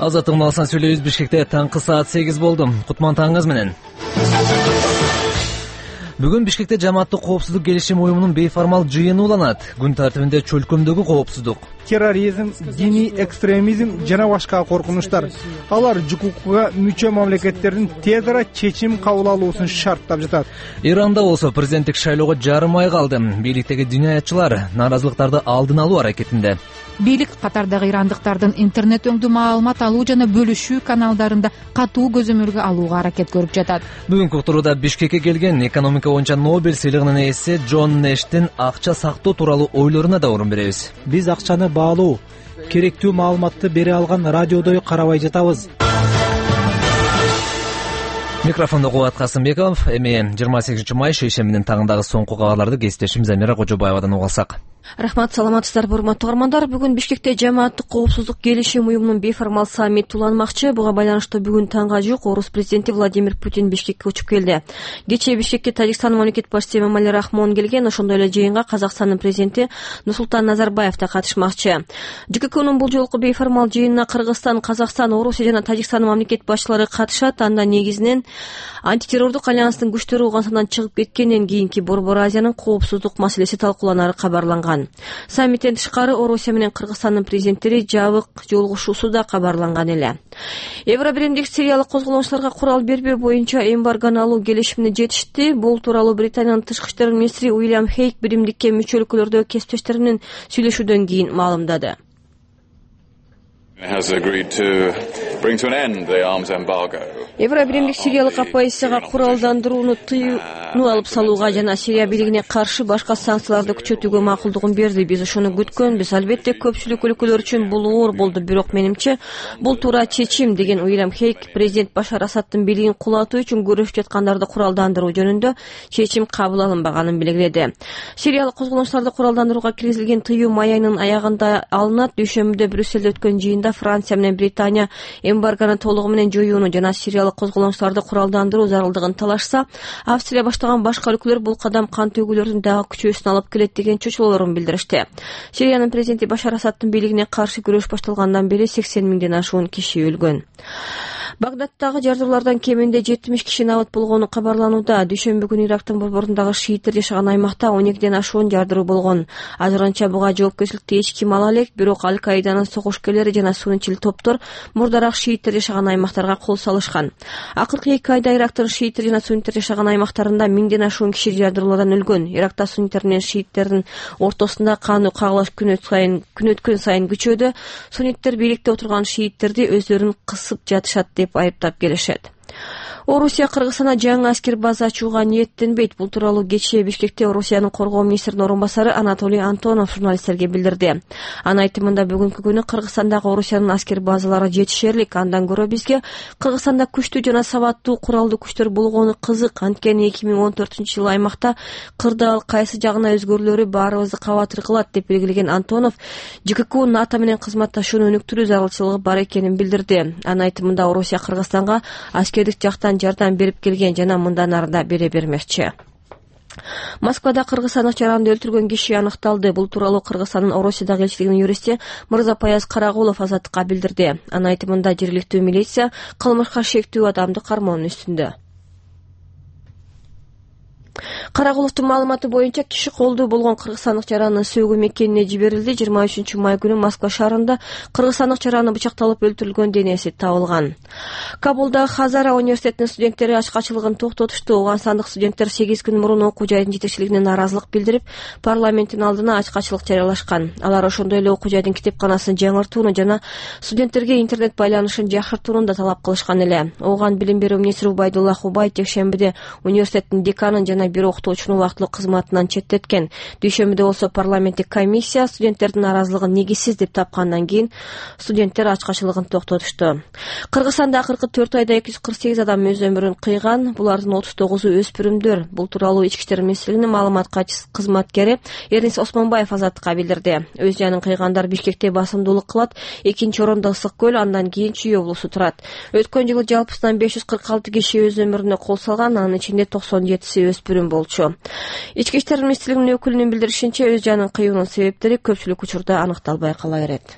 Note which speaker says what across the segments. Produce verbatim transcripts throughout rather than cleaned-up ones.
Speaker 1: Азаттык Малсан сүйлөйбүз. Бишкекте таңкы саат сегиз болду. Кутман таңыңыз менен. Бүгүн Бишкекте жамааттык коопсуздук келишим уюмунун бейформал жыйыны уланат. Күн тартибинде чөлкөмдөгү коопсуздук,
Speaker 2: терроризм, диний экстремизм жана башка коркунучтар. Алар ЖКУКга мүчө мамлекеттердин тез ара чечим кабыл алуусун шарттап жатат.
Speaker 1: Иранда болсо президенттик шайлоого жарым ай калды. Бийликтеги жинаятчылар наразылыктарды алдын алуу аракетинде.
Speaker 3: Бийлик катардагы ирандыктардын интернет өңдүү маалымат алуу жана бөлүшүү каналдарында катуу көзөмөлгө алууга аракет көрүп жатат.
Speaker 1: Бүгүнкү уктурууда Бишкекке келген экономика боюнча Нобель сыйлыгынын ээси Джон Нэштин акча сактоо тууралуу ойлоруна да орун беребиз.
Speaker 4: Биз акчаны баалуу, керектүү маалыматты бере алган радиодой карабай жатабыз.
Speaker 1: Микрофондо Кубат Касымбеков. Эми жыйырма сегизинчи май шейшембинин тагындагы соңку кабарларды кесиптешим Замира Кожобаевадан угуп алсак.
Speaker 5: Рахмат, саламатсыздарбы урматтуу угармандар. Бүгүн Бишкекте жамааттык коопсуздук келишим уюмунун бейформал саммити уланмакчы. Буга байланыштуу бүгүн таңга жук Орус президенти Владимир Путин Бишкекке учуп келди. Кечээ Бишкекке Тажикстандын мамлекет башчысы Эмомали Рахмон келген. Ошондой эле жыйынга Казакстандын президенти Нурсултан Назарбаев да катышмакчы. ЖККнун бул жолку бейформал жыйынына Кыргызстан, Казакстан, Орусия жана Тажикстандын мамлекет башчылары катышат. Анда негизинен антитеррордук альянстын күчтөрү Ооганстандан чыгып кеткенден кийинки Борбор Азиянын коопсуздук маселеси талкууланары кабарланган. Саммиттен тышкары Орусия менен Кыргызстандын президенттери жабык жолугушуусу да кабарланган эле. Евробиримдик Сириялык козголоочуларга курал бербөө боюнча эмбаргону алуу келишимине жетишти. Бул тууралуу Британиянын тышкы иштер министри Уильям Хейк биримдикке мүчө өлкөлөрдөгү кесиптештери менен сүйлөшүүдөн кийин маалымдады. Евробиримдик Сириялык оппозицияга куралдандырууну тыюуну алып салууга жана Сирия бийлигине каршы башка санкцияларды күчөтүүгө макулдугун берди. Биз ошону күткөнбүз. Албетте көпчүлүк өлкөлөр үчүн бул оор болду, бирок менимче бул туура чечим, деген Уильям Хейк президент Башар Асадтын бийлигин кулатуу үчүн күрөшүп жаткандарды куралдандыруу жөнүндө чечим кабыл алынбаганын белгиледи. Сириялык козголоочуларды куралдандырууга киргизилген тыюу май айынын аягында алынат. Дүйшөмбүдө Брюссельде өткөн жыйында Франция менен Британия эмбаргону толугу менен жоюуну жана сириялык козголоочуларды куралдандыруу зарылдыгын талашса, Австрия баштаган башка өлкөлөр бул кадам кан төгүүлөрдүн дагы күчөөсүнө алып келет деген чочулоолорун билдиришти. Сириянын президенти Башар Асадтын бийлигине каршы күрөш башталгандан бери сексен миңден ашуун киши өлгөн. Багдадтагы жардыруулардан кеминде жетимиш киши набат болгону кабарланууда. Дүйшөмбү күнү Ирактын борборундагы шииттер жашаган аймакта он экиден ашуун жардыруу болгон. Азырынча буга жоопкерчиликти эч ким ала элек, бирок Аль-Каиданын согушкерлери жана сунничил топтор мурдараак шииттер жашаган аймактарга кол салышкан. Акыркы эки айда Ирактын шииттер жана сунниттер жашаган аймактарында миңден ашуун киши жардыруулардан өлгөн. Иракта сунниттер менен шииттердин ортосунда кандуу кагылыш күн сайын күн өткөн сайын күчөдө. Сунниттер бийликте отурган шииттерди өздөрүн кысып жатышат деп айыптап келишет. Орусия Кыргызстанда жаңы аскер база ачууга ниеттенбейт. Бул тууралуу кечээ Бишкекте Орусиянын коргоо министринин орун басары Анатолий Антонов журналисттерге билдирди. Анын айтымында бүгүнкү күнү Кыргызстандагы Орусиянын аскер базалары жетишерлик. Андан көрө бизге Кыргызстанда күчтүү жана сабаттуу куралдуу күчтөр болгону кызык. Анткени эки миң он төртүнчү жылы аймакта кырдаал кайсы жагына өзгөрүүлөрү баарыбызды кабатыр кылат деп белгилеген Антонов ЖКК НАТО менен кызматташууну өнүктүрүү зарылчылыгы бар экенин билдирди. Анын айтымында Орусия Кыргызстанга аскердик жактан жардам берип келген жана мындан ары да бере бермекчи. Москвада кыргызстандык жаранды өлтүргөн киши аныкталды. Бул тууралуу Кыргызстандын Орусиядагы элчилигинин юристи Мырзапаяз Карагулов Азаттыкка билдирди. Анын айтымында жергиликтүү милиция кылмышка шектүү адамды кармоонун үстүндө. Карагуловдун маалыматы боюнча киши колдуу болгон кыргызстандык жараны сөгүү мекенине жиберилди. жыйырма үчүнчү май күнү Москва шаарында кыргызстандык жараны бычакталып өлтүрүлгөн денеси табылган. Кабулда Хазара университетинин студенттери ачкачылыгын токтотушту. Ооганстандык студенттер сегиз күн мурун окуу жайдын жетекчилигине нааразылык билдирип, парламенттин алдына ачкачылык жарыялашкан. Алар ошондой эле окуу жайдын китепканасын жаңыртууну жана студенттерге интернет байланышын жакшыртууну да талап кылышкан эле. Ооган билим берүү министри Убайдулла Хубай жекшембиде университеттин деканын жана бир окутуучуну убактылуу кызматынан четтеткен. Дүйшөмбүдө болсо парламенттик комиссия студенттердин нааразылыгын негизсиз деп тапкандан кийин студенттер ачкачылыгын токтотушту. Кыргызстанда акыркы төрт айда эки жүз кырк сегиз адам өз өмүрүн кыйган. Булардын отуз тогузу өспүрүмдөр. Бул тууралуу Ички иштер министрлигинин маалымат кызматкери Эрнис Осмонбаев Азаттыкка билдирди. Өз жанын кыйгандар Бишкекте басымдуулук кылат. Экинчи орунда Ысык көл, андан кийин Чүй облусу турат. Өткөн жылы жалпысынан беш жүз кырк алты киши өз өмүрүнө кол салган, анын ичинде токсон жетиси өспүрүм болчу. Ички иштер министрлигинин өкүлүнүн билдиришинче, өз жанын кыюунун себептери көпчүлүк учурда аныкталбай кала берет.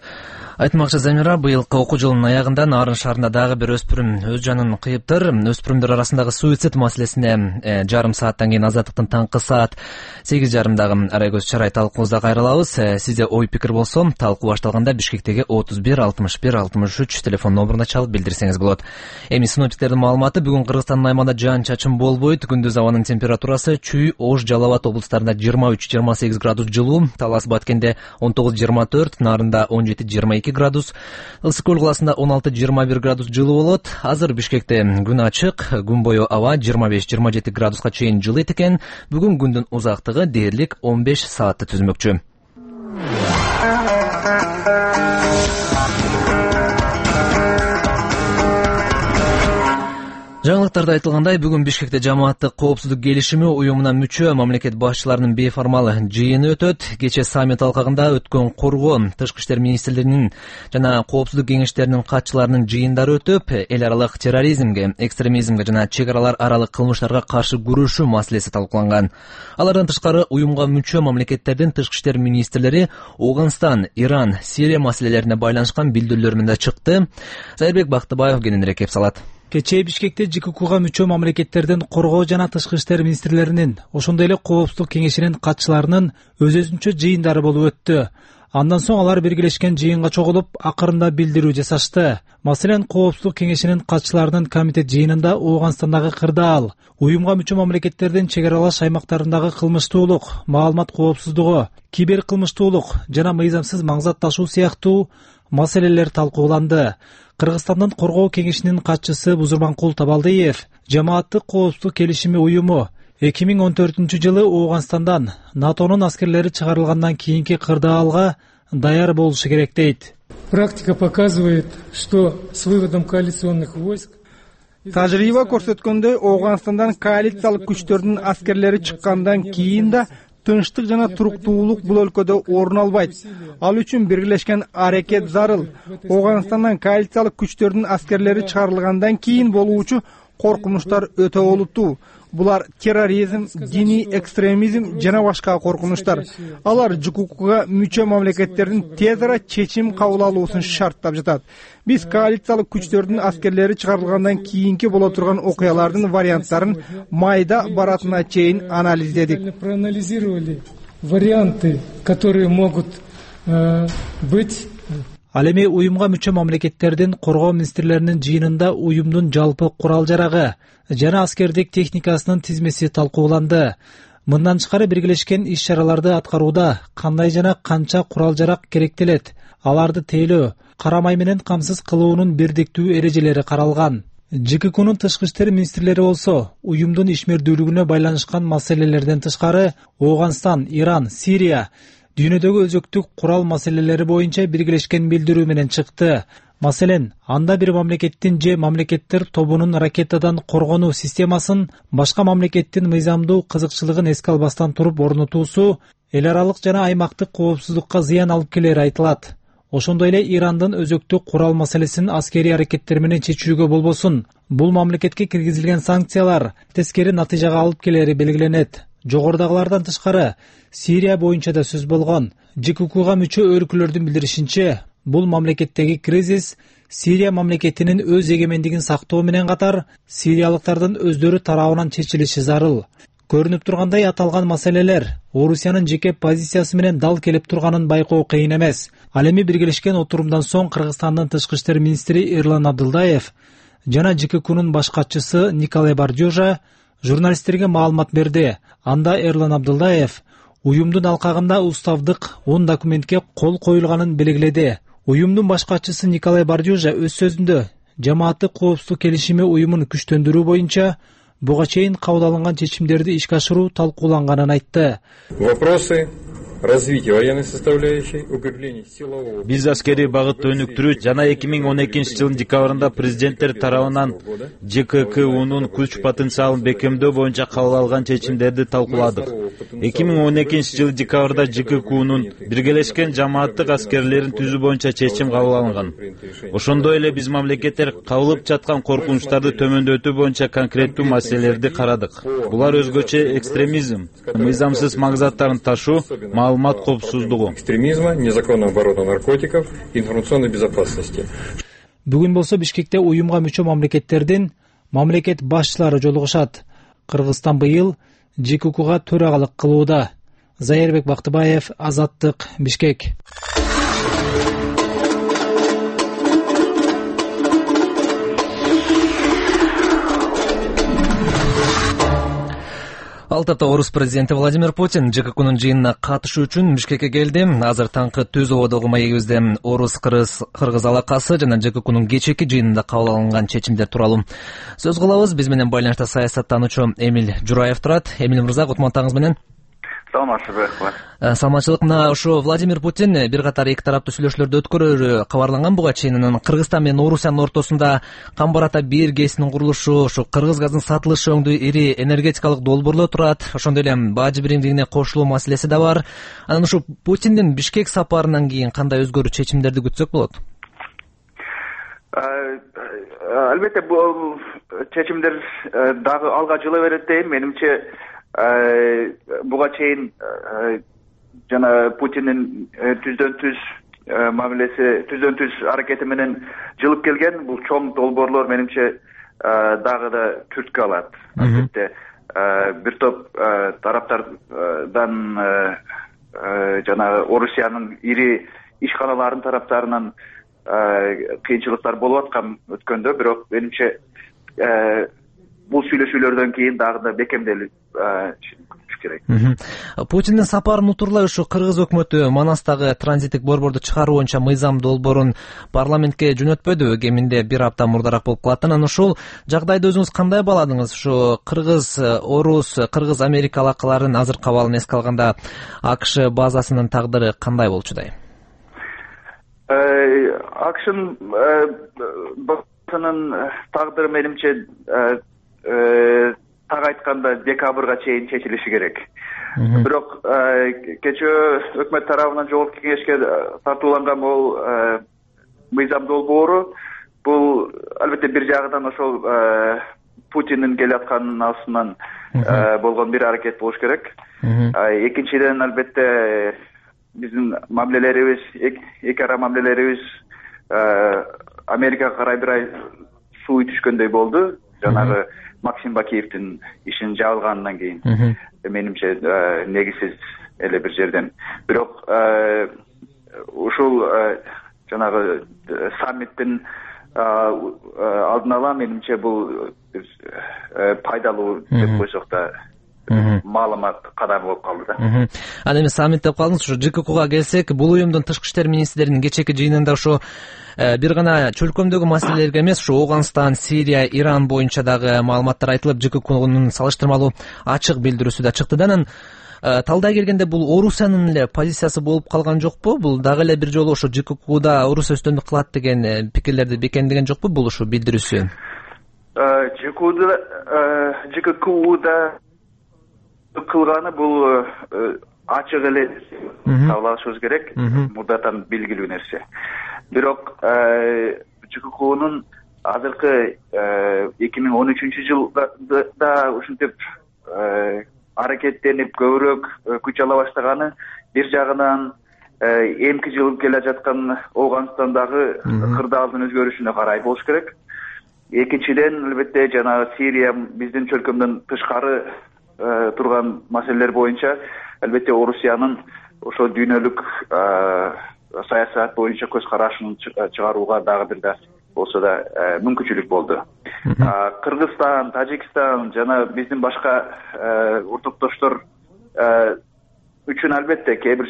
Speaker 1: Айтмакчы Замира, быйылкы окуу жылынын аягында Нарын шаарында дагы бир өспүрүм өз жанын кыйыптыр. Өспүрүмдөр арасындагы суицид маселесине э, жарым сааттан кийин Азаттыктын таңкы саат сегиз жарымдагы арай көз чарай талкуубузда кайрылабыз. Э, сизде ой пикир болсо, талкуу башталганда Бишкектеги отуз бир алтымыш бир алтымыш үч телефон номуруна чалып билдирсеңиз болот. Эми синоптиктердин маалыматы: бүгүн Кыргызстандын аймагында жаан-чачын болбойт. Күндүз абанын температурасы Чүй, Ош, Жалал Абад облустарында жыйырма үч жыйырма сегиз градус жылуу, Талас Баткенде он тогуз жыйырма төрт, Нарында он жети жыйырма эки градус, Ысык көл каласында он алты жыйырма бир градус жылуу болот. Азыр Бишкекте күн ачык, күн бою аба жыйырма беш жыйырма жети градуска чейин жылыйт экен. Бүгүн күндүн узактыгы дээрлик он беш саатты түзмөкчү. Жаңылыктарда айтылгандай, бүгүн Бишкекте жамааттык коопсуздук келишими уюмуна мүчө мамлекет башчыларынын бейформал жыйыны өтөт. Кече саммит алкагында өткөн коргоо, тышкы иштер министрлигинин жана коопсуздук кеңештеринин катчыларынын жыйындары өтүп, эл аралык терроризмге, экстремизмге жана чек аралар аралык кылмыштарга каршы күрөшүү маселеси талкууланган. Алардан тышкары уюмга мүчө мамлекеттердин тышкы иштер министрлери Ооганстан, Иран, Сирия маселелерине байланышкан билдирүүлөр менен чыкты. Зайырбек Бактыбаев кененирээк кеп салат.
Speaker 4: Кечээ Бишкекте ЖККга мүчө мамлекеттердин коргоо жана тышкы иштер министрлеринин, ошондой эле коопсуздук кеңешинин катчыларынын өз-өзүнчө жыйындары болуп өттү. Андан соң алар биргелешкен жыйынга чогулуп, акырында билдирүү жасашты. Маселен, коопсуздук кеңешинин катчыларынын комитет жыйынында Ооганстандагы кырдаал, уюмга мүчө мамлекеттердин чек аралаш аймактарындагы кылмыштуулук, маалымат коопсуздугу, кибер кылмыштуулук жана мыйзамсыз маңзат ташуу сыяктуу маселелер талкууланды. Кыргызстандын коргоо кеңешинин катчысы Бузурманкул Табалдиев жамааттык коопсуздук келишими уюму эки миң он төртүнчү жылы Ооганстандан НАТОнун аскерлери чыгарылгандан кийинки кырдаалга даяр болушу керек дейт.
Speaker 6: Практика показывает, что с выводом коалиционных войск
Speaker 2: Тажрыйба көрсөткөндөй, Ооганстандан коалициялык күчтөрдүн аскерлери чыккандан кийин да тынчтык жана туруктуулук бул өлкөдө орун албайт. Ал үчүн биргелешкен аракет зарыл. Ооганстандан коалициялык күчтөрдүн аскерлери чыгарылгандан кийин болуучу коркунучтар өтө олуттуу. Булар терроризм, диний экстремизм жана башка коркунучтар. Алар ЖККга мүчө мамлекеттердин тез ара чечим кабыл алуусун шарттап жатат. Биз коалициялык күчтөрдүн аскерлери чыгарылгандан кийинки боло турган окуялардын варианттарын майда баратына чейин анализдедик.
Speaker 6: Проанализировали варианты, которые могут быть.
Speaker 4: Ал эми уюмга мүчө мамлекеттердин коргоо министрлеринин жыйынында уюмдун жалпы курал-жарагы жана аскердик техникасынын тизмеси талкууланды. Мындан тышкары биргелешкен иш-чараларды аткарууда кандай жана канча курал-жарак керектелет, аларды тейлөө, карамай менен камсыз кылуунун бирдиктүү эрежелери каралган. ЖККнун тышкы иштер министрлери болсо уюмдун ишмердүүлүгүнө байланышкан маселелерден тышкары Ооганстан, Иран, Сирия дүйнөдөгү өзөктүк курал маселелери боюнча биргелешкен билдирүү менен чыкты. Маселен, анда бир мамлекеттин же мамлекеттер тобунун ракетадан коргонуу системасын башка мамлекеттин мыйзамдуу кызыкчылыгын эске албастан туруп орнотуусу эл аралык жана аймактык коопсуздукка зыян алып келери айтылат. Ошондой эле Ирандын өзөктүк курал маселесин аскерий аракеттер менен чечүүгө болбосун. Бул мамлекетке киргизилген санкциялар тескери натыйжага алып келери белгиленет. Жогорудагылардан тышкары Сирия боюнча да сөз болгон. ЖККга мүчө өлкөлөрдүн билдиришинче, бул мамлекеттеги кризис Сирия мамлекетинин өз эгемендигин сактоо менен катар сириялыктардын өздөрү тарабынан чечилиши зарыл. Көрүнүп тургандай, аталган маселелер Орусиянын жеке позициясы менен дал келип турганын байкоо кыйын эмес. Ал эми биргелешкен отурумдан соң Кыргызстандын тышкы иштер министри Эрлан Абдылдаев жана ЖККнун баш катчысы Николай Бардюжа журналисттерге маалымат берди. Анда Эрлан Абдылдаев уюмдун алкагында уставдык он документке кол коюлганын белгиледи. Уюмдун баш катчысы Николай Бардюжа өз сөзүндө жамааттык коопсуздук келишими уюмун күчтөндүрүү боюнча буга чейин кабыл алынган чечимдерди ишке ашыруу талкууланганын айтты.
Speaker 7: Вопросы развития военной составляющей, укрепление силового.
Speaker 8: Биз аскерий багытты өнүктүрүү жана эки миң он экинчи жылдын декабрында президенттер тарабынан ЖККунун күч потенциалын бекемдөө боюнча кабыл алган чечимдерди талкууладык. эки миң он экинчи жылы декабрда ЖККунун биргелешкен жамааттык аскерлерин түзүү боюнча чечим кабыл алынган. Ошондой эле биз мамлекеттер кабылып жаткан коркунучтарды төмөндөтүү боюнча конкреттүү маселелерди карадык. Булар өзгөчө экстремизм, мыйзамсыз маңзаттарын ташуу, маалымат коопсуздугу,
Speaker 7: экстремизма, незаконного оборота наркотиков, информационной безопасности.
Speaker 4: Бүгүн болсо Бишкекте уюмга мүчө мамлекеттердин мамлекет башчылары жолугушат. Кыргызстан быйыл джи ка укга төрагалык кылууда. Зайырбек Бактыбаев, Азаттык, Бишкек.
Speaker 1: Ал тапта орус президенти Владимир Путин джи ка укнун жыйынына катышуу үчүн Бишкекке келди. Азыр таңкы Түз ободогу маегибизде орус-кыргыз алакасы жана джи ка укнун кечээки жыйынында кабыл алынган чечимдер тууралуу сөз кылабыз. Биз менен байланышта саясаттануучу Эмиль Жураев турат. Эмиль мырза, кутмандыгыңыз менен.
Speaker 9: Саламатсызбы?
Speaker 1: Саламатчылык. Мына ушу Владимир Путин бир катар эки тараптуу сүйлөшүүлөрдү өткөрөрү кабарланган буга чейин. Анан Кыргызстан менен Орусиянын ортосунда Камбарата бир ГЭСинин курулушу, ушу кыргыз газынын сатылышы өңдүү ири энергетикалык долбоорлор турат. Ошондой эле бажы биримдигине кошулуу маселеси да бар. Анан ушу Путиндин Бишкек сапарынан кийин кандай өзгөрүү чечимдерди күтсөк болот?
Speaker 9: Албетте бул чечимдер дагы алга жыла берет дейм. Менимче буга чейин жана Путиндин түздөн түз мамилеси, түздөн түз аракети менен жылып келген бул чоң долбоорлор менимче дагы да түрткү алат. Албетте бир топ тараптардан жана Орусиянын ири ишканаларынын тараптарынан кыйынчылыктар болуп аткан өткөндө, бирок менимче бул сүйлөшүүлөрдөн кийин дагы да бекемделип керек.
Speaker 1: Путиндин сапарын утурлай ушу кыргыз өкмөтү Манастагы транзиттик борборду чыгаруу боюнча мыйзам долбоорун парламентке жөнөтпөдү. Кеминде бир апта мурдараак болуп калат. Анан ушул жагдайды өзүңүз кандай бааладыңыз? Ушу кыргыз, орус, кыргыз Америка алакаларынын азыркы абалын эске алганда АКШ базасынын тагдыры кандай болчудай?
Speaker 9: АКШнын базасынын тагдыры менимче так айтканда декабрга чейин чечилиши керек. Бирок кечээ өкмөт тарабынан жогорку кеңешке тартууланган бул мыйзам долбоору бул албетте бир жагынан ошол Путиндин келатканын астынан болгон бир аракет болуш керек. Экинчиден албетте биздин мамилелерибиз, эки ара мамилелерибиз Америкага карай бир ай суу түшкөндөй болду. Жанагы Максим Бакиевдин ишин жабылгандан кийин менимче негизсиз эле бир жерден. Бирок ушул жанагы саммиттин алдын ала менимче бул пайдалуу деп койсок да маалымат кадамы болуп калды да.
Speaker 1: Анан эми саммит деп калдыңыз. Ушу джи ка укга келсек, бул уюмдун тышкы иштер министрлеринин кечээки жыйынында ушу бир гана чөлкөмдөгү маселелерге эмес, ушу Ооганстан, Сирия, Иран боюнча дагы маалыматтар айтылып, джи ка укнун салыштырмалуу ачык билдирүүсү да чыкты да. Анан талдай келгенде бул Орусиянын эле позициясы болуп калган жокпу? Бул дагы эле бир жолу ушу джи ка укда Орусия үстөмдүк кылат деген пикирлерди бекемдеген жокпу бул ушу билдирүүсү?
Speaker 9: джи ка укда кылганы бул ачык эле табылышыбыз керек, мурдатан белгилүү нерсе. Бирок джи ка укнун азыркы эки миң он үчүнчү жылда ушинтип аракеттенип көбүрөөк күч ала баштаганы бир жагынан эмки жылып келе жаткан Ооганстандагы кырдаалдын өзгөрүшүнө карай болуш керек. Экинчиден албетте жанагы Сирия биздин чөлкөмдөн тышкары турган маселелер боюнча албетте Орусиянын ошо дүйнөлүк саясат боюнча көз карашын чыгарууга дагы бир да болсо да мүмкүнчүлүк болду. Кыргызстан, Тажикстан жана биздин башка ортоктоштор үчүн албетте кээ бир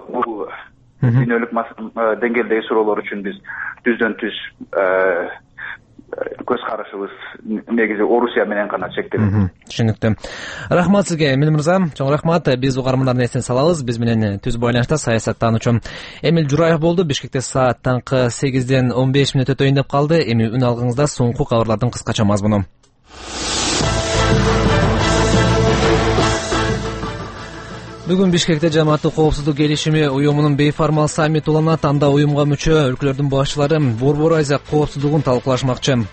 Speaker 9: бул дүйнөлүк деңгээлдеги суроолор үчүн биз түздөн түз көз карашыбыз негизи Орусия менен гана чектелет.
Speaker 1: Түшүнүктүү. Рахмат сизге, Эмиль мырза. Чоң рахмат. Биз угармандардын эсине салабыз. Биз менен түз байланышта саясаттануучу Эмиль Жураев болду. Бишкекте саат таңкы сегизден он беш мүнөт өтөйүн деп калды. Эми үн алгыңызда соңку кабарлардын кыскача мазмуну. Бүгүн Бишкекте Жамааттык коопсуздук келишими уюмунун бейформал саммити уланат. Анда уюмга мүчө өлкөлөрдүн башчылары Борбор Азия коопсуздугун талкуулашмакчы.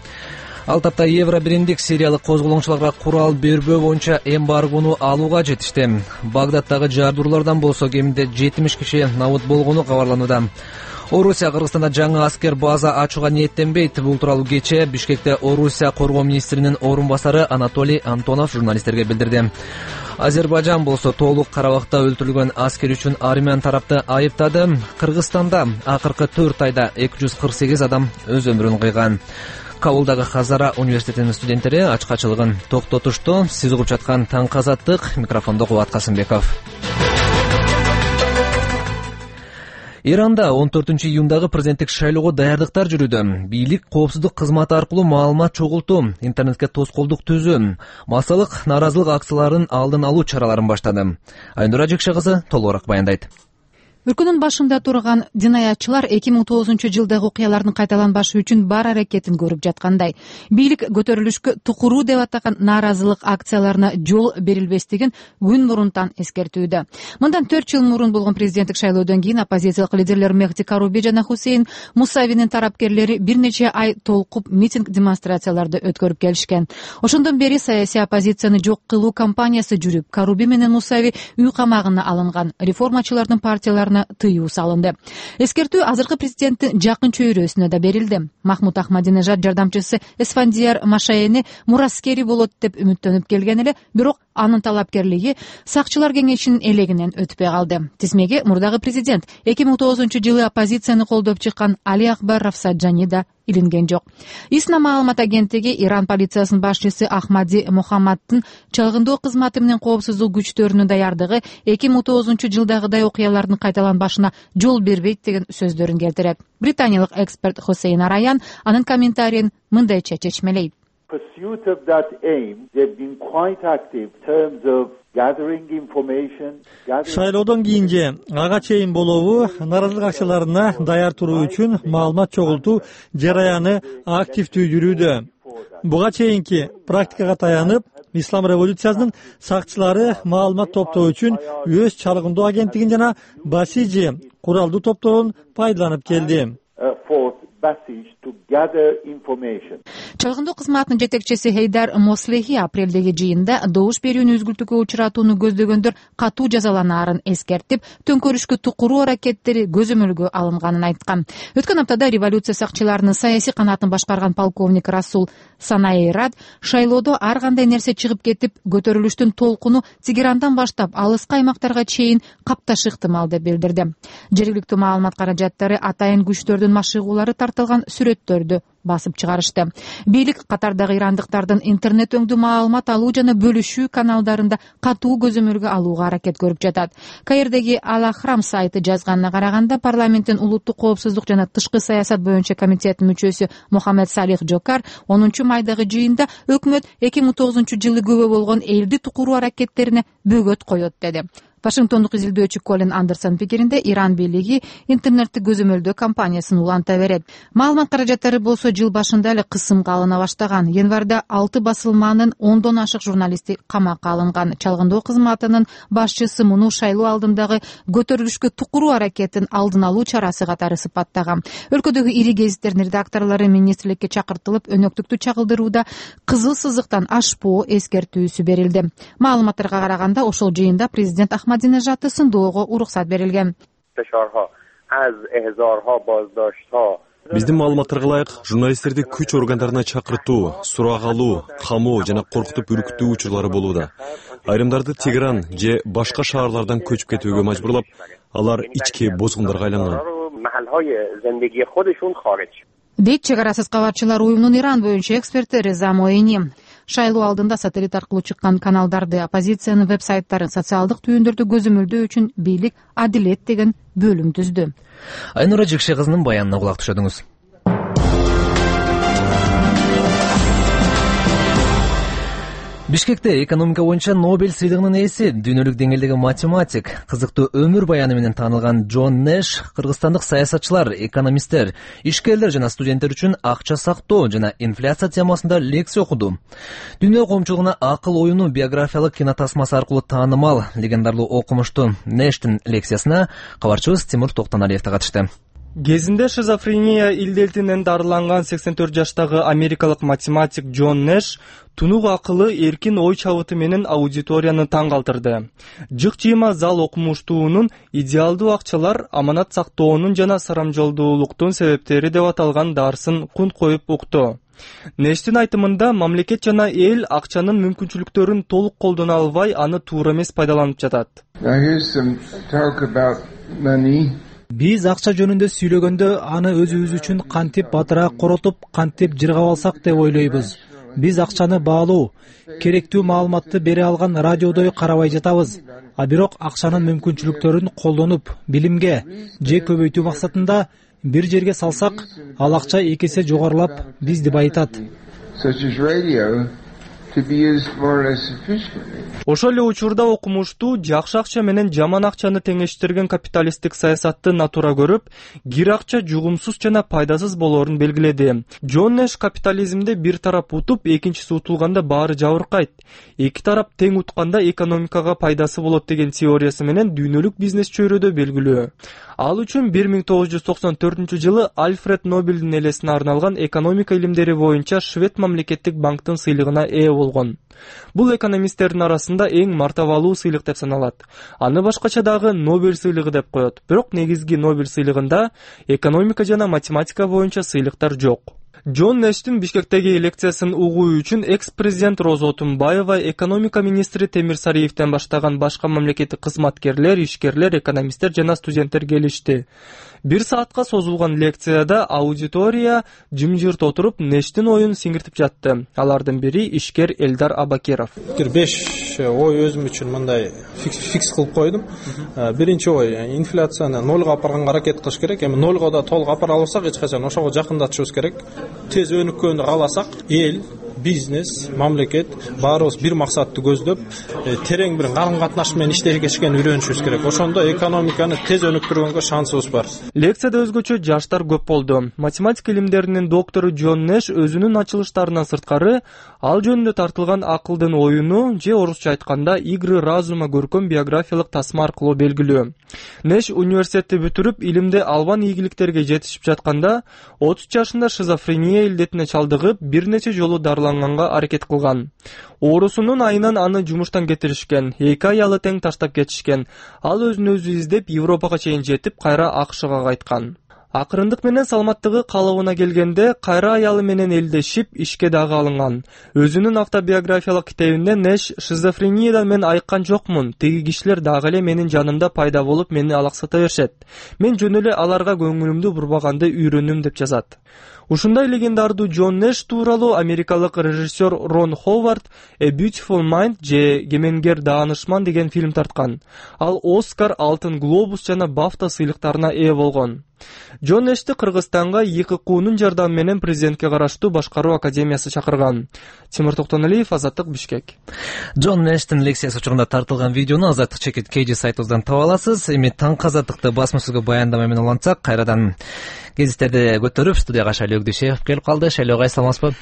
Speaker 1: Ал тапта Евро биримдик сириялык козголоңчуларга курал бербөө боюнча эмбаргону алууга жетишти. Багдаддагы жардыруулардан болсо кеминде жетимиш киши набыт болгону кабарланууда. Орусия Кыргызстанда жаңы аскер база ачууга ниеттенбейт. Бул тууралуу кечээ Бишкекте Орусия коргоо министринин орун басары Анатолий Антонов журналисттерге билдирди. Азербайжан болсо толук Карабакта өлтүрүлгөн аскер үчүн армян тарапты айыптады. Кыргызстанда акыркы төрт айда эки жүз кырк сегиз адам өз өмүрүн кыйган. Кабулдагы Хазара университетинин студенттери ачкачылыгын токтотушту. Сиз угуп жаткан Таңкы Азаттык, микрофондо Кубат Касымбеков. Иранда он төртүнчү июндагы президенттик шайлоого даярдыктар жүрүүдө. Бийлик коопсуздук кызматы аркылуу маалымат чогултуу, интернетке тоскоолдук түзүү, массалык нааразылык акцияларын алдын алуу чараларын баштады. Айнура Жекше кызы толугураак баяндайт.
Speaker 3: Өлкөнүн башында турган динаятчылар эки миң тогузунчу жылдагы окуялардын кайталанбашы үчүн бар аракетин көрүп жаткандай. Бийлик көтөрүлүшкө тукуруу деп атаган нааразылык акцияларына жол берилбестигин күн мурунтан эскертүүдө. Мындан төрт жыл мурун болгон президенттик шайлоодон кийин оппозициялык лидерлер Мехди Каруби жана Хусейин Мусавинин тарапкерлери бир нече ай толкуп митинг демонстрацияларды өткөрүп келишкен. Ошондон бери саясий оппозицияны жок кылуу кампаниясы жүрүп, Каруби менен Мусави үй камагына алынган. Реформачылардын партияларына тыюу салынды. Эскертүү азыркы президенттин жакын чөйрөсүнө да берилди. Махмуд Ахмадинежад жардамчысы Эсфандияр Машаяни мураскери болот деп үмүттөнүп келген эле, бирок анын талапкерлиги сакчылар кеңешинин элегинен өтпөй калды. Тизмеге мурдагы президент эки миң тогузунчу жылы оппозицияны колдоп чыккан Али Акбар Рафсаджани да илинген жок. ИСНА маалымат агенттиги Иран полициясынын башчысы Ахмади Мухаммаддын чалгындоо кызматы менен коопсуздук күчтөрүнүн даярдыгы эки миң тогузунчу жылдагыдай окуялардын кайталанбашына жол бербейт деген сөздөрүн келтирет. Британиялык эксперт Хусейн Араян анын комментарийин мындайча чечмелейт.
Speaker 10: Шайлоодон кийин же ага чейин болобу нааразылык акцияларына даяр туруу үчүн маалымат чогултуу жараяны активдүү жүрүүдө. Буга чейинки практикага таянып, Ислам революциясынын сакчылары маалымат топтоо үчүн өз чалгындоо агенттигин жана Басижи куралдуу топторун пайдаланып келди.
Speaker 3: Чалгындоо кызматынын жетекчиси Хейдар Мослехи апрелдеги жыйында добуш берүүнү үзгүлтүүгө учуратууну көздөгөндөр катуу жазаланаарын эскертип, төңкөрүшкө тукуруу аракеттери көзөмөлгө алынганын айткан. Өткөн аптада революция сакчыларынын саясий канатын башкарган полковник Расул Санаират шайлоодо ар кандай нерсе чыгып кетип, көтөрүлүштүн толкуну Тегерандан баштап алыскы аймактарга чейин капташы ыктымал деп билдирди. Жергиликтүү маалымат каражаттары атайын күчтөрдүн машыгуулары тартылган сүрөттөрдү басып чыгарышты. Бийлик катардагы ирандыктардын интернет өңдүү маалымат алуу жана бөлүшүү каналдарында катуу көзөмөлгө алууга аракет көрүп жатат. Каирдеги Ал-Ахрам сайты жазганына караганда, парламенттин улуттук коопсуздук жана тышкы саясат боюнча комитетинин мүчөсү Мухаммед Салих Джокар онунчу майдагы жыйында өкмөт эки миң тогузунчу жылы күбө болгон элди тукуруу аракеттерине бөгөт коет деди. Вашингтондук изилдөөчү Колин Андерсон пикиринде, Иран бийлиги интернетти көзөмөлдөө кампаниясын уланта берет. Маалымат каражаттары болсо жыл башында эле кысымга алына баштаган. Январда алты басылманын ондон ашык журналисти камакка алынган. Чалгындоо кызматынын башчысы муну шайлоо алдындагы көтөрүлүшкө тукуруу аракетин алдын алуу чарасы катары сыпаттаган. Өлкөдөгү ири гезиттердин редакторлору министрликке чакыртылып, өнөктүктү чагылдырууда кызыл сызыктан ашпоо эскертүүсү берилди. Маалыматтарга караганда, ошол жыйында президент Ахмадинежадты сындоого уруксат берилген.
Speaker 11: Биздин маалыматтарга ылайык, журналисттерди күч органдарына чакыртуу, сурак алуу, камоо жана коркутуп үркүтүү учурлары болууда. Айрымдарды Тегеран же башка шаарлардан көчүп кетүүгө мажбурлап, алар ички бозгундарга айланган.
Speaker 3: Дейт чек арасыз кабарчылар уюмунун Иран боюнча эксперти Реза Моини. Шайлоо алдында сателлит аркылуу чыккан каналдарды, оппозициянын веб-сайттарын, социалдык түйүндөрдү көзөмөлдөө үчүн бийлик Адилет деген бөлүм түздү.
Speaker 1: Айнура Жекше кызынын баянына кулак түшөдүңүз. Бишкекте экономика боюнча Нобель сыйлыгынын ээси, дүйнөлүк деңгээлдеги математик, кызыктуу өмүр баяны менен таанылган Джон Нэш кыргызстандык саясатчылар, экономисттер, ишкерлер жана студенттер үчүн акча сактоо жана инфляция темасында лекция окуду. Дүйнө коомчулугуна акыл оюну биографиялык кинотасмасы аркылуу таанымал легендарлуу окумуштуу Нэштин лекциясына кабарчыбыз Тимур Токтоналиев да катышты.
Speaker 2: Кезинде шизофрения илдетинен дарыланган сексен төрт жаштагы америкалык математик Джон Нэш тунук акылы, эркин ой чабыты менен аудиторияны таң калтырды. Жык жыйма зал окумуштуунун идеалдуу акчалар, аманат сактоонун жана сарамжылдуулуктун себептери деп аталган дарсын кунт коюп укту. Нэштин айтымында мамлекет жана эл акчанын мүмкүнчүлүктөрүн толук колдоно албай, аны туура эмес пайдаланып жатат.
Speaker 4: Биз акча жөнүндө сүйлөгөндө аны өзүбүз үчүн кантип батыраак коротуп, кантип жыргап алсак деп ойлойбуз. Биз акчаны баалуу, керектүү маалыматты бере алган радиодой карабай жатабыз. А бирок акчанын мүмкүнчүлүктөрүн колдонуп, билимге же көбөйтүү максатында бир жерге салсак, ал акча эки эсе жогорулап бизди байытат.
Speaker 2: Ошол эле учурда окумуштуу, жакшы акча менен жаман акчаны теңештирген капиталисттик саясатты натура көрүп, кир акча жугумсуз жана пайдасыз болоорун белгиледи. Джон Нэш капитализмде бир тарап утуп, экинчиси утулганда баары жабыркайт. Эки тарап тең утканда экономикага пайдасы болот деген теориясы менен дүйнөлүк бизнес чөйрөдө белгилүү. Ал үчүн бир миң тогуз жүз токсон төртүнчү жылы Альфред Нобелдин элесине арналган экономика илимдери боюнча Швед мамлекеттик банктын сыйлыгына ээ болгон. Бул экономисттердин арасында эң мартабалуу сыйлык деп саналат. Аны башкача дагы Нобель сыйлыгы деп коет. Бирок негизги Нобель сыйлыгында экономика жана математика боюнча сыйлыктар жок. Джон Нэштин Бишкектеги лекциясын угуу үчүн экс-президент Роза Отунбаева, экономика министри Темир Сариевден баштаган башка мамлекеттик кызматкерлер, ишкерлер, экономисттер жана студенттер келишти. Бир саатка созулган лекцияда аудитория жымжырт отуруп Нэштин оюн сиңиртип жатты. Алардын бири ишкер Элдар Абакиров.
Speaker 12: беш ой өзүм үчүн мындай фикс кылып койдум. Биринчи ой, инфляцияны нолго апарганга аракет кылыш керек. Эми нолго да толук апара алсак, эч качан ошого жакындатышыбыз керек. Тез өнүккөндү кааласак, эл, бизнес, мамлекет баарыбыз бир максатты көздөп, терең бир карым-катнаш менен иштешкен үйрөнүшүбүз керек. Ошондо экономиканы тез өнүктүргөнгө шансыбыз бар.
Speaker 2: Лекцияда өзгөчө жаштар көп болду. Математика илимдеринин доктору Джон Нэш өзүнүн ачылыштарынан сырткары ал жөнүндө тартылган акылдын оюну же орусча айтканда игры разума көркөм биографиялык тасма аркылуу белгилүү. Нэш университетти бүтүрүп, илимде албан ийгиликтерге жетишип жатканда отуз жашында шизофрения илдетине чалдыгып, бир нече жолу дарыланганга аракет кылган. Оорусунун айынан аны жумуштан кетиришкен, эки аялы тең таштап кетишкен. Ал өзүн өзү издеп Европага чейин жетип, кайра АКШга кайткан. Акырындык менен саламаттыгы калыбына келгенде, кайра аялы менен элдешип, ишке дагы алынган. Өзүнүн автобиографиялык китебинде Нэш шизофрениядан мен айыккан жокмун, тиги кишилер дагы эле менин жанымда пайда болуп, мени алаксата беришет. Мен жөн эле аларга көңүлүмдү бурбаганды үйрөндүм деп жазат. Ушундай легендардуу Джон Нэш тууралуу америкалык режиссер Рон Ховард A Beautiful Mind же Кемеңгер даанышман деген фильм тарткан. Ал Оскар, Алтын глобус жана Бафта сыйлыктарына ээ болгон. Джон Нэшти Кыргызстанга ИККУнун жардамы менен президентке караштуу башкаруу академиясы чакырган. Тимур Токтоналиев, Азаттык, Бишкек.
Speaker 1: Джон Нэштин лекциясы учурунда тартылган видеону Азаттык чекит Кж сайтыбыздан таба аласыз. Эми таңкы Азаттыкты басма сөзгө баяндама менен улантсак, кайрадан гезиттерди көтөрүп студияга Шайлоо Өкдүшев келип калды. Шайлоо, кайсы саламатсызбы?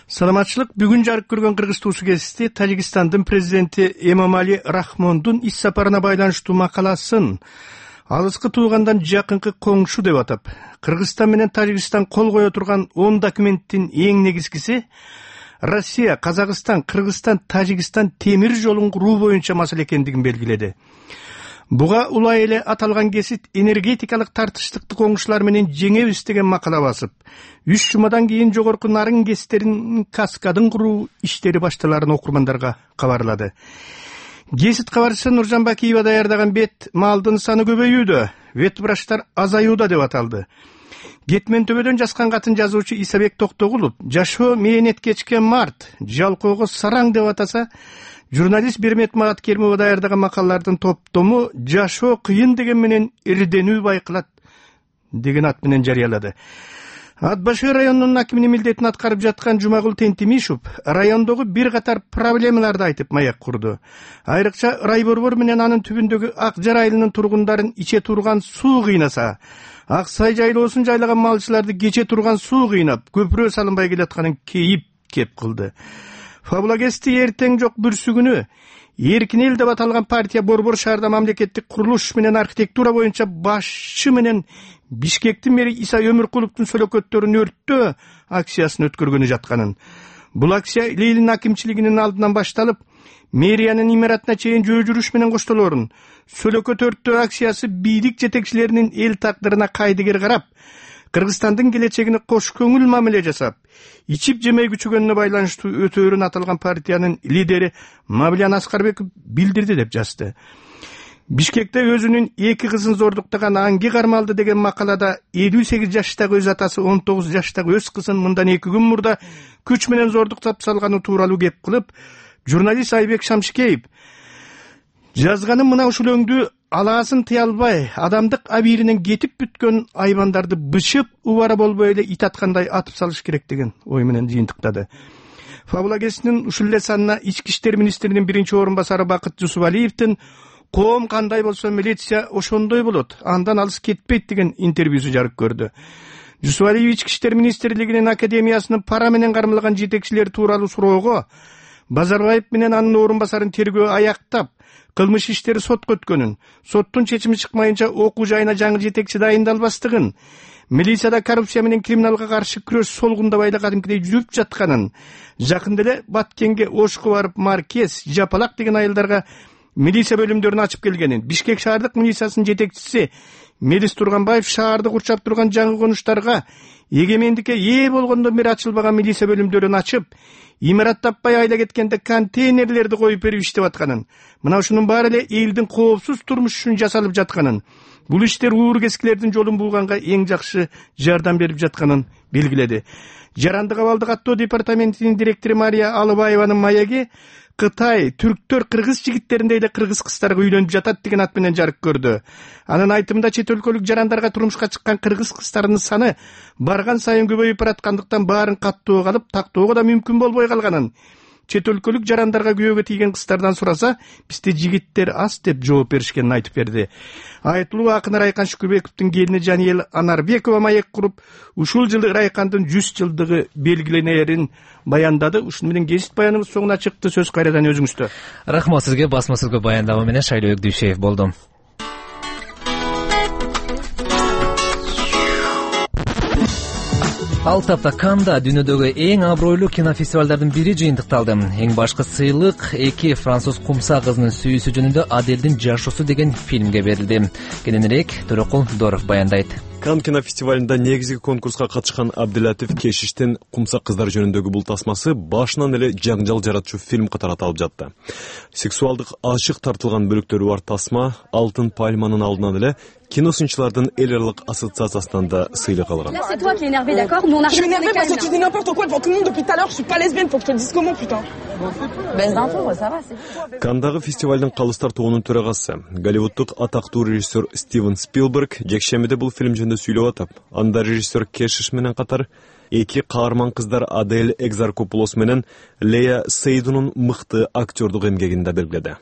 Speaker 2: Саламатчылык. Бүгүн жарык көргөн Кыргыз туусу гезити Тажикстандын президенти Эмомали Рахмондун ис сапарына байланыштуу макаласын алыскы туугандан жакынкы коңшу деп атап, Кыргызстан менен Тажикстан кол кое турган он документтин эң негизгиси Россия, Казакстан, Кыргызстан, Тажикстан темир жолун куруу боюнча маселе экендигин белгиледи. Буга улай эле аталган гезит энергетикалык тартыштыкты коңшулар менен жеңебиз деген макала басып, үч жумадан кийин жогорку нарын гезиттерин каскадын куруу иштери башталарын окурмандарга кабарлады. Гезит кабарчысы Нуржан Бакиева даярдаган бет малдын саны көбөйүүдө, ветвраштар азаюуда деп аталды. Кетмен төбөдөн жазган катын жазуучу Исабек Токтогулов жашоо мээнет кечкен март, жалкоого сараң деп атаса, журналист Бермет Магаткеримова даярдаган макалалардын топтому жашоо кыйын деген менен ирденүү байкалат деген ат менен жарыялады. Ат башы районунун акиминин милдетин аткарып жаткан Жумагул Тентимишев райондогу бир катар проблемаларды айтып маяк курду. Айрыкча Райборбор менен анын түбүндөгү Ак Жар айылынын тургундарын иче турган суу кыйнаса, Ак Сай жайлоосун жайлаган малчыларды кече турган суу кыйнап, көпүрө салынбай келатканын кейип кеп кылды. Фабула гезити эртең жок бүрсүгүнү Эркин эл деп аталган партия Борбор шаарда мамлекеттик курулуш менен архитектура боюнча башчы менен Бишкектин мэри Иса Өмүркуловдун сөлөкөттөрүн өрттөө акциясын өткөргөнү жатканын. Бул акция Лейлин акимчилигинин алдынан башталып, мэриянын имаратына чейин жөө жүрүш менен коштолоорун. Сөлөкөт өрттөө акциясы бийлик жетекчилеринин эл тагдырына кайдыгер карап, Кыргызстандын келечегине кош көңүл мамиле жасап, ичип жемей күчөгөнүнө байланыштуу өтөөрүн аталган партиянын лидери Мавлян Аскарбеков билдирди деп жазды. Бишкекте өзүнүн эки кызын зордуктаган Анги кармалды деген макалада элүү сегиз жаштагы өз атасы он тогуз жаштагы өз кызын мындан эки күн мурда күч менен зордуктап салганы тууралуу кеп кылып, журналист Айбек Шамшикеев жазганын мына ушул өңдү алаасын тыя албай, адамдык абийиринен кетип бүткөн айбандарды бычып, убара болбой эле ит аткандай атып салыш керек деген ой менен жыйынтыктады. Фабула кезинин ушул эле санына ички иштер министринин биринчи орун басары Бакыт Жусупалиевдин коом кандай болсо милиция ошондой болот, андан алыс кетпейт деген интервьюсу жарык көрдү. Жусупалиев ички иштер министрлигинин академиясынын пара менен кармалган жетекчилер тууралуу суроого Базарбаев менен анын орун басарын тергөө аяктап, кылмыш иштери сотко өткөнүн, соттун чечими чыкмайынча окуу жайына жаңы жетекчи дайындалбастыгын, милицияда коррупция менен криминалга каршы күрөш солгундабай эле кадимкидей жүрүп жатканын, жакында эле Баткенге ошко барып Маркез, Жапалак деген айылдарга милиция бөлүмдөрүн ачып келгенин, Бишкек шаардык милициясынын жетекчиси Мелис Турганбаев шаарды курчап турган жаңы конуштарга эгемендикке ээ болгондон бери ачылбаган милиция бөлүмдөрүн ачып, имарат таппай айла кеткенде контейнерлерди коюп берип иштеп атканын, мына ушунун баары эле элдин коопсуз турмуш үчүн жасалып жатканын, бул иштер уур кескилердин жолун булганга эң жакшы жардам берип жатканын белгиледи. Жарандык абалдык аттоо департаментинин директору Мария Алыбаеванын маеги Кытай түрктөр кыргыз жигиттериндей эле кыргыз кыздарга үйлөнүп жатат деген ат менен жарык көрдү. Анын айтымында чет өлкөлүк жарандарга турмушка чыккан кыргыз кыздарынын саны барган сайын көбөйүп бараткандыктан баарын каттоого алып, тактоого да мүмкүн болбой калганын, чет өлкөлүк жарандарга күйөөгө тийген кыздардан сураса, бизде жигиттер аз деп жооп беришкенин айтып берди. Айтылуу акын Райкан Шүкүрбековдун келини Жаниел Анарбекова маек куруп, ушул жылы Райкандын жүз жылдыгы белгиленерин баяндады. Ушуну менен гезит баяныбыз соңуна чыкты. Сөз кайрадан өзүңүздө.
Speaker 1: Рахмат сизге. Басма сөзгө баяндама менен Шайлоо Өкдүшев болду. Ал тапта Канда дүйнөдөгү эң абройлуу кинофестивалдардын бири жыйынтыкталды. Эң башкы сыйлык эки француз кумса кызынын сүйүүсү жөнүндө Аделдин жашоосу деген фильмге берилди. Кененирээк Төрөкул Доров баяндайт.
Speaker 11: Кан кинофестивалында негизги конкурска катышкан Абдилатиф Кешиштин Кумса кыздар жөнүндөгү бул тасмасы башынан эле жаңжал жаратчу фильм катары аталып жатты. Сексуалдык ачык тартылган бөлүктөрү бар тасма Алтын пальманын алдынан эле киносунчулардын эл аралык ассоциациясынан да сыйлык алган. Кандагы фестивалдын калыстар тобунун төрагасы, Голливуддук атактуу режиссер Стивен Спилберг жекшемиде бул фильм жөнүндө сүйлөп атып, анда режиссер Кешиш менен катар эки каарман кыздар Адель Экзаркопулос менен Лея Сейдунун мыкты актёрдук эмгегин да белгиледи.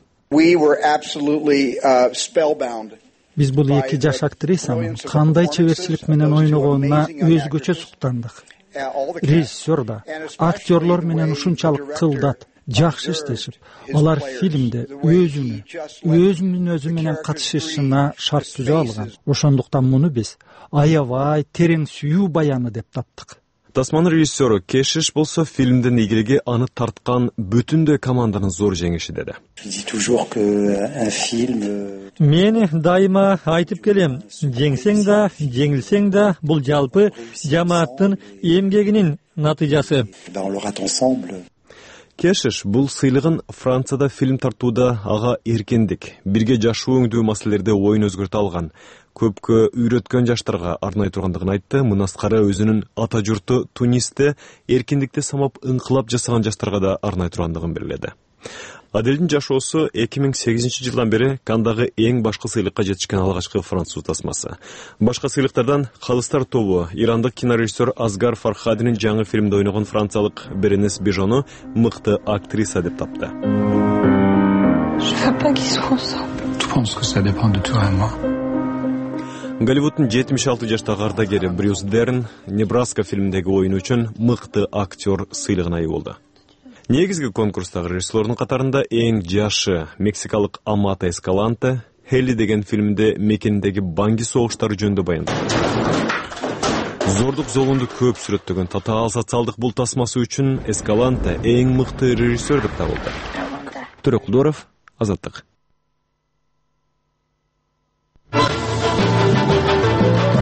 Speaker 13: Биз бул эки жаш актрисанын кандай чеберчилик менен ойногонуна өзгөчө суктандык. Режиссер да, актерлор менен ушунчалык кылдат, жакшы иштешип, алар фильмде өзүнү, өзүнүн өзү менен катышышына шарт түзө алган. Ошондуктан муну биз аябай терең сүйүү баяны деп таптык.
Speaker 11: Тасманын режиссеру Кешиш болсо фильмдин ийгилиги аны тарткан бүтүндөй команданын зор жеңиши деди.
Speaker 10: Мен дайыма айтып келем, жеңсең да, жеңилсең да бул жалпы жамааттын эмгегинин натыйжасы.
Speaker 11: Кешиш бул сыйлыгын Францияда фильм тартууда ага эркиндик, бирге жашоо өңдүү маселелерде оюн өзгөртө алган, көпкө үйрөткөн жаштарга арнай тургандыгын айтты. Мунаскары өзүнүн ата журту Тунисте эркиндикти самап ыңкылап жасаган жаштарга да арнай тургандыгын белгиледи. Аделдин жашоосу эки миң сегизинчи жылдан бери Кандагы эң башкы сыйлыкка жетишкен алгачкы француз тасмасы. Башка сыйлыктардан калыстар тобу ирандык кинорежиссер Асгар Фархадинин жаңы фильмде ойногон франциялык Беренес Бежону мыкты актриса деп тапты. Голливуддун жетимиш алты жаштагы ардагери Брюс Дерн Небраска фильминдеги оюну үчүн мыкты актер сыйлыгына ээ болду. негизги конкурстагы режиссерлордун катарында эң жашы мексикалык Амата Эскаланте Хелли деген фильмде мекениндеги банги согуштары жөнүндө баяндады. Зордук золунду көп сүрөттөгөн татаал социалдык бул тасмасы үчүн Эскаланте эң мыкты режиссер деп табылды. Төрөкулдуров, Азаттык.